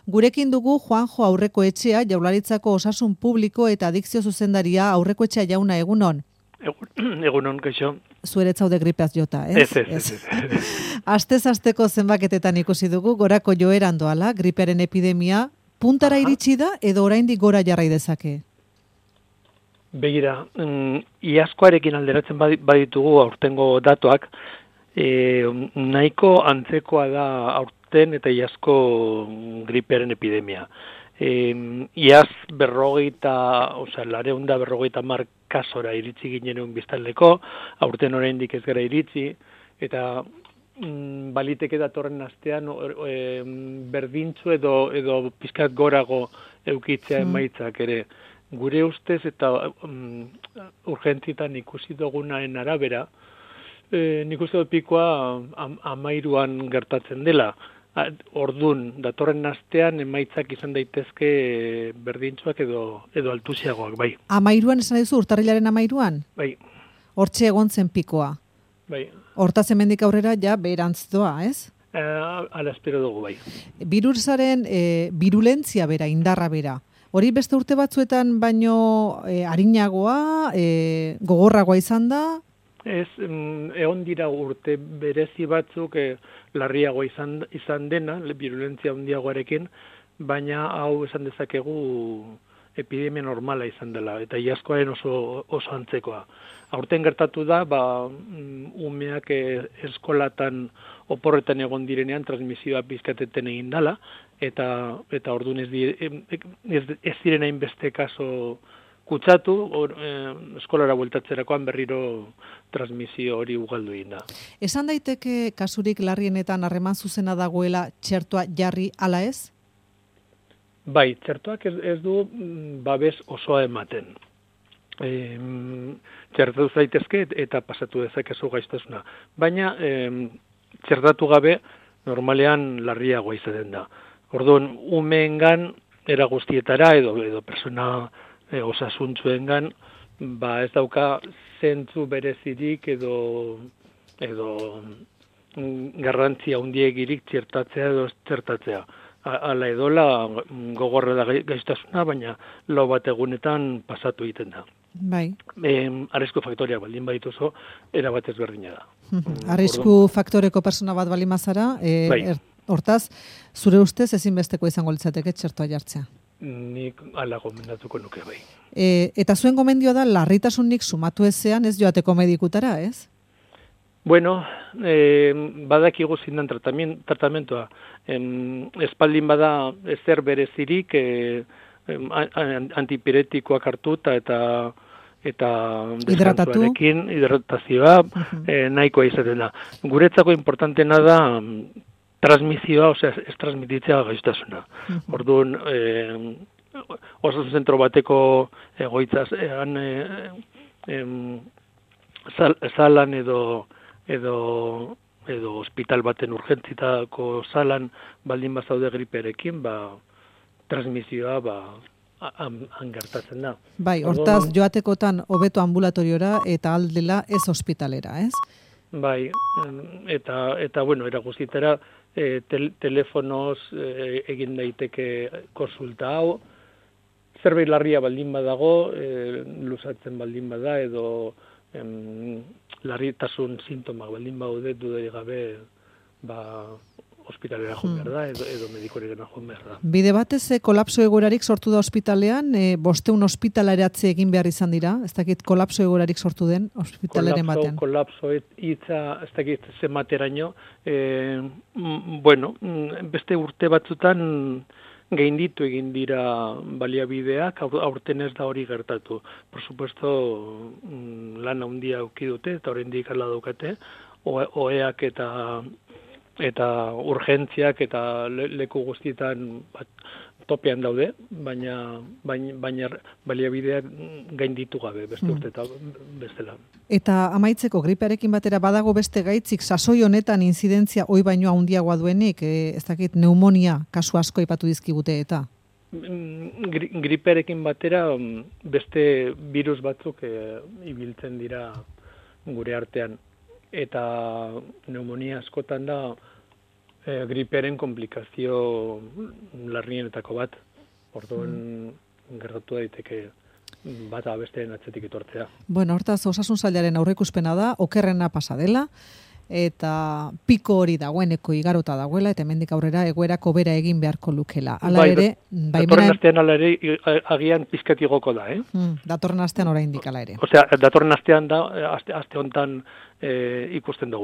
Gurekin dugu Juanjo Aurrekoetxea, Jaurlaritzako Osasun Publiko eta Adikzio Zuzendaria. Aurrekoetxea jauna, egunon. Egunon, kaixo. Zueret zaude gripeaz jota, ez? Ez. Astez-asteko zenbaketetan ikusi dugu, gorako joeran doala, gripearen epidemia, puntara iritsi da edo oraindik gora jarrai dezake? Begira, iazkoarekin alderatzen baditugu aurtengo datuak, nahiko antzekoa da aurten eta iazko gripearen epidemia. Iaz 450 kasora iritsi ginen biztanleko, aurten oraindik ez gara iritsi, eta baliteke datorren astean berdintzu edo pizkat gorago eukitzea emaitzak ere. Gure ustez eta urgentzitan ikusi dugunaren arabera, nik uste dut pikoa 13an gertatzen dela. Ordun datorren astean emaitzak izan daitezke berdintzuak edo altusiagoak, bai. 13an esan duzu, urtarrilaren 13an? Bai. Hortxe egon zen pikoa. Bai. Hortaz hemendik aurrera ja beherantz doa, ez? Ala espero dugu, bai. Birusaren virulentzia bera, indarra bera. Hori beste urte batzuetan baino arinagoa, gogorragoa izan da? Ez, egon dira urte berezi batzuk larriago izan dena, virulentzia handiagoarekin, baina hau esan dezakegu epidemia normala izan dela, eta iazkoaren oso antzekoa. Aurten gertatu da, umeak eskolatan oporretan egon direnean transmisioa pizkateten egin dela, eta orduan ez diren hainbeste kaso kutsatu, eskolara bueltatzerakoan berriro transmisio hori ugaldu egin da. Esan daiteke kasurik larrienetan harreman zuzena dagoela txertoa jarri ala ez? Bai, txertoak ez du babes osoa ematen. Txertatu zaitezke eta pasatu dezakezu gaixotasuna. Baina txertatu gabe normalean larriagoa izaten da. Orduan, umeengan era guztietara edo persona osasuntsuengan ez dauka zentzu berezirik edo garrantzia handiegirik txertatzea edo txertatzea. Hala edola gogorra da gaixotasuna, baina lau bat egunetan pasatu egiten da. Bai. Arrisku faktoria baldin badituzu, erabat ezberdina da. Arrisku faktoreko persona bat baldin bazara, hortaz, zure ustez ezinbesteko izango litzateke txertoa jartzea. Nik ala gomendatuko nuke bai. Eta zuen gomendioa da larritasunik sumatu ezean ez joateko medikutara, ez? Bueno, badakigu zindan tratamentoa. Espaldin bada ezer berezirik antipiretikoak hartuta eta hidratazioa nahikoa izaten da. Guretzako importantena da transmisioa, ez transmititzea gaixotasuna. Orduan, osasun zentro bateko egoitzaz, salan edo hospital baten urgentzitako salan baldin bazaude gripearekin, transmisioa gertatzen da. Bai, hortaz joatekotan hobeto ambulatoriora eta aldela ez hospitalera, ez? Bai, eta bueno, era guztietara telefonoz egin daiteke konsulta hau, zerbait larria baldin badago, luzatzen baldin bada edo larritasun sintomak baldin baude dudarik gabe ospitalera joan behar da edo medikoregana joan behar da. Bide batez kolapso egoerarik sortu da ospitalean, 500 ospitaleratze egin behar izan dira, ez dakit kolapso egoerarik sortu den ospitaleren batean. Kolapso hitza ez dakit zemateraino, bueno, beste urte batzutan gainditu egin dira baliabideak, aurten ez da hori gertatu. Por supuesto, lan handia eduki dute eta oraindik hala daukate, oheak eta urgentziak eta leku guztietan topean daude, baina baliabideak gainditu gabe beste urte eta bestela. Eta amaitzeko gripearekin batera badago beste gaitzik sasoi honetan inzidentzia hoi baino handiagoa duenik, ez dakit pneumonia kasu asko aipatu dizkigute eta? Gripearekin batera beste virus batzuk ibiltzen dira gure artean. Eta pneumonia askotan da griperen komplikazio larrienetako bat. Orduan gertatu daiteke bata besteen atzetik etortzea. Bueno, hortaz osasun sailaren aurreikuspena da okerrena pasa dela eta piko hori dagoeneko igarota dagoela eta hemendik aurrera egoerako bera egin beharko lukela. Hala ere, datorren astean hala ere agian pizkat igoko da, datorren astean oraindik hala ere. Osea, datorren astean da aste hontan ikusten dugu.